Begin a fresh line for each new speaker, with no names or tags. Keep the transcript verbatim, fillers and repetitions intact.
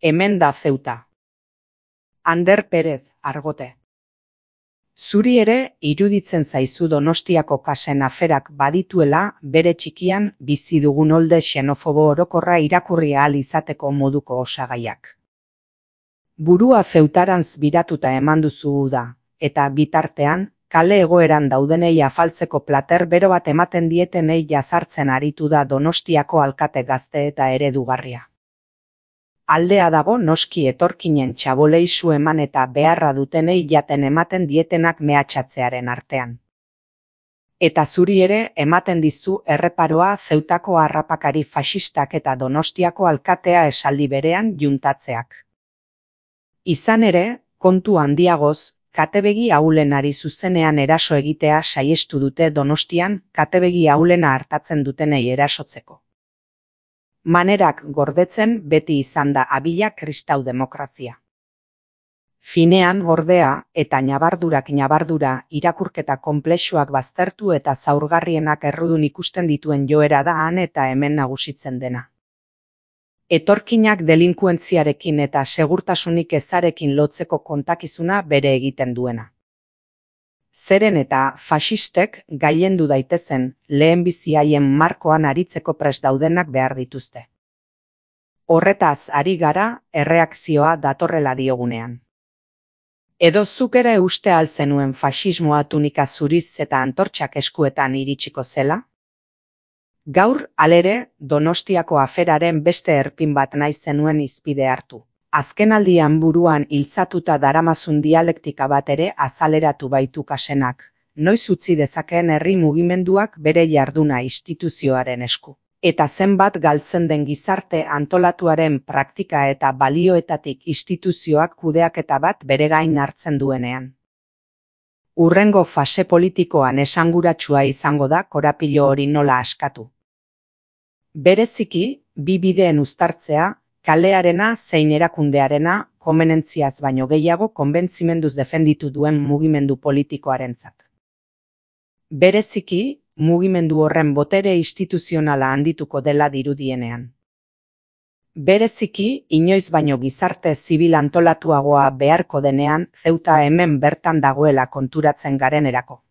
Hemen da Ceuta. Ander Pérez, Argote. Zuri ere iruditzen zaizu Donostiako kasen aferak badituela bere txikian bizi dugun olde xenofobo orokorra irakurri ahal izateko moduko osagaiak. Burua Zeutarantz biratuta eman duzu da, eta bitartean, kale egoeran daudenei afaltzeko plater bero bat ematen dietenei jazartzen aritu da Donostiako alkate gazte eta eredugarria. Aldea dago noski etorkinen txabolei su eman eta beharra dutenei jaten ematen dietenak mehatxatzearen artean. Eta zuri ere ematen dizu erreparoa Zeutako harrapakari faxistak eta Donostiako alkatea esaldi berean juntatzeak. Izan ere, kontu handiagoz, katebegi ahulenari zuzenean eraso egitea saiestu dute Donostian katebegi ahulena hartatzen dutenei erasotzeko. Manerak gordetzen beti izan da abila kristau demokrazia. Finean ordea eta ñabardurak ñabardura irakurketa konplexuak baztertu eta zaurgarrienak errudun ikusten dituen joera da han eta hemen nagusitzen dena. Etorkinak delinkuentziarekin eta segurtasunik ezarekin lotzeko kontakizuna bere egiten duena. Zeren eta faxistek gailendu daitezen lehenbizi haien markoan aritzeko prest daudenak behar dituzte. Horretaz ari gara erreakzioa datorrela diogunean. Edo zuk ere uste al zenuen faxismoa tunika zuriz eta antortxak eskuetan iritsiko zela? Gaur, halere, Donostiako aferaren beste erpin bat nahi zenuen hizpide hartu. Azkenaldian buruan hiltzatuta daramazun dialektika bat ere azaleratu baitu kasenak, noiz utzi dezakeen herri mugimenduak bere jarduna instituzioaren esku. Eta zenbat galtzen den gizarte antolatuaren praktika eta balioetatik instituzioak kudeaketa bat bere gain hartzen duenean. Hurrengo fase politikoan esanguratsua izango da korapilo hori nola askatu. Bereziki, bi bideen uztartzea, kalearena zein erakundearena komenentziaz baino gehiago konbentzimenduz defenditu duen mugimendu politikoarentzat. Bereziki, mugimendu horren botere instituzionala handituko dela dirudienean. Bereziki, inoiz baino gizarte zibil antolatuagoa beharko denean Zeuta hemen bertan dagoela konturatzen garenerako.